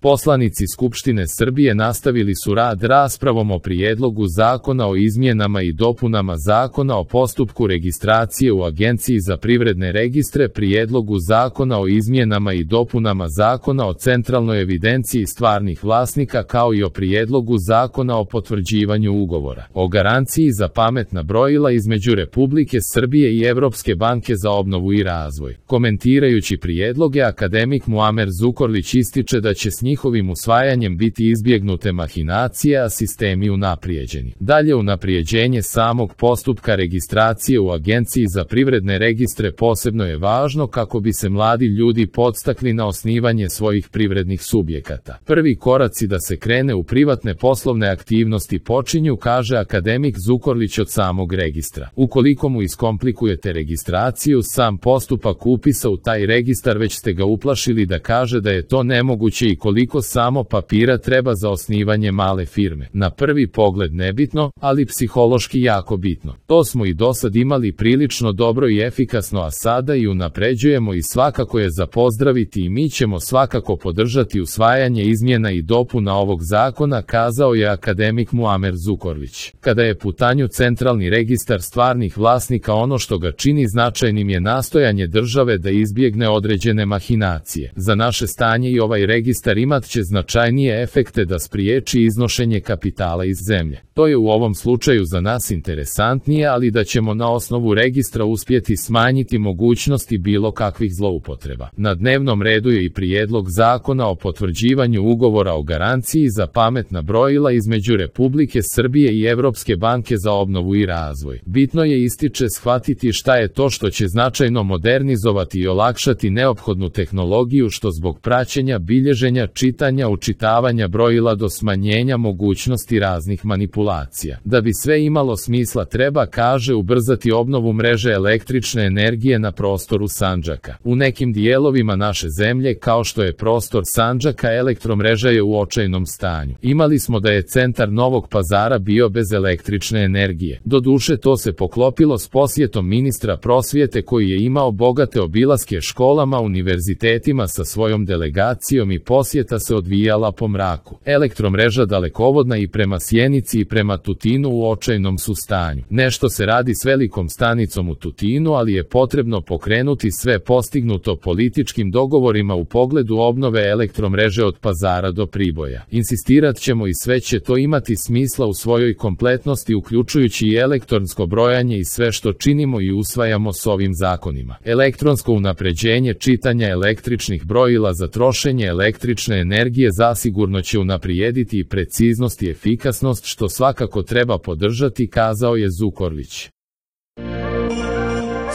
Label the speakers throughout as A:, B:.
A: Poslanici Skupštine Srbije nastavili su rad raspravom o Prijedlogu zakona o izmjenama i dopunama Zakona o postupku registracije u Agenciji za privredne registre, Prijedlogu zakona o izmjenama i dopunama Zakona o centralnoj evidenciji stvarnih vlasnika, kao i o Prijedlogu zakona o potvrđivanju ugovora o garanciji za pametna brojila između Republike Srbije i Evropske banke za obnovu i razvoj. Komentirajući prijedloge, akademik Muamer Zukorlić ističe da će s njihovim usvajanjem biti izbjegnute mahinacije, a sistemi unaprijeđeni. Dalje, unaprijeđenje samog postupka registracije u Agenciji za privredne registre posebno je važno kako bi se mladi ljudi podstakli na osnivanje svojih privrednih subjekata. Prvi koraci da se krene u privatne poslovne aktivnosti počinju, kaže akademik Zukorlić, od samog registra. Ukoliko mu iskomplikujete registraciju, sam postupak upisa u taj registar, već ste ga uplašili da kaže da je to nemoguće i koliko samo papira treba za osnivanje male firme. Na prvi pogled nebitno, ali psihološki jako bitno. To smo i dosad imali prilično dobro i efikasno, a sada i unapređujemo i svakako je za pozdraviti i mi ćemo svakako podržati usvajanje izmjena i dopuna ovog zakona, kazao je akademik Muamer Zukorlić. Kada je u pitanju centralni registar stvarnih vlasnika, ono što ga čini značajnim je nastojanje države da izbjegne određene mahinacije. Za naše stanje i ovaj registar imat će značajnije efekte da spriječi iznošenje kapitala iz zemlje. To je u ovom slučaju za nas interesantnije, ali da ćemo na osnovu registra uspjeti smanjiti mogućnosti bilo kakvih zloupotreba. Na dnevnom redu je i Prijedlog zakona o potvrđivanju ugovora o garanciji za pametna brojila između Republike Srbije i Evropske banke za obnovu i razvoj. Bitno je, ističe, shvatiti šta je to što će značajno modernizovati i olakšati neophodnu tehnologiju, što zbog praćenja, bilježenja, čitanja, učitavanja brojila do smanjenja mogućnosti raznih manipulacija. Da bi sve imalo smisla treba, kaže, ubrzati obnovu mreže električne energije na prostoru Sandžaka. U nekim dijelovima naše zemlje, kao što je prostor Sandžaka, elektromreža je u očajnom stanju. Imali smo da je centar Novog Pazara bio bez električne energije. Doduše, to se poklopilo s posjetom ministra prosvjete koji je imao bogate obilaske školama, univerzitetima sa svojom delegacijom i posjeta se odvijala po mraku. Elektromreža dalekovodna i prema Sjenici i prema Tutinu u očajnom su stanju. Nešto se radi s velikom stanicom u Tutinu, ali je potrebno pokrenuti sve postignuto političkim dogovorima u pogledu obnove elektromreže od Pazara do Priboja. Insistirat ćemo i sve će to imati smisla u svojoj kompletnosti, uključujući i elektronsko brojanje i sve što činimo i usvajamo s ovim zakonima. Elektronsko unapređenje čitanja električnih brojila za trošenje električne energije zasigurno će unaprijediti i preciznost i efikasnost, što svakako treba podržati, kazao je Zukorlić.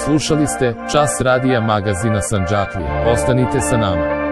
A: Slušali ste Čas radija magazina Sandžaklija. Ostanite sa nama.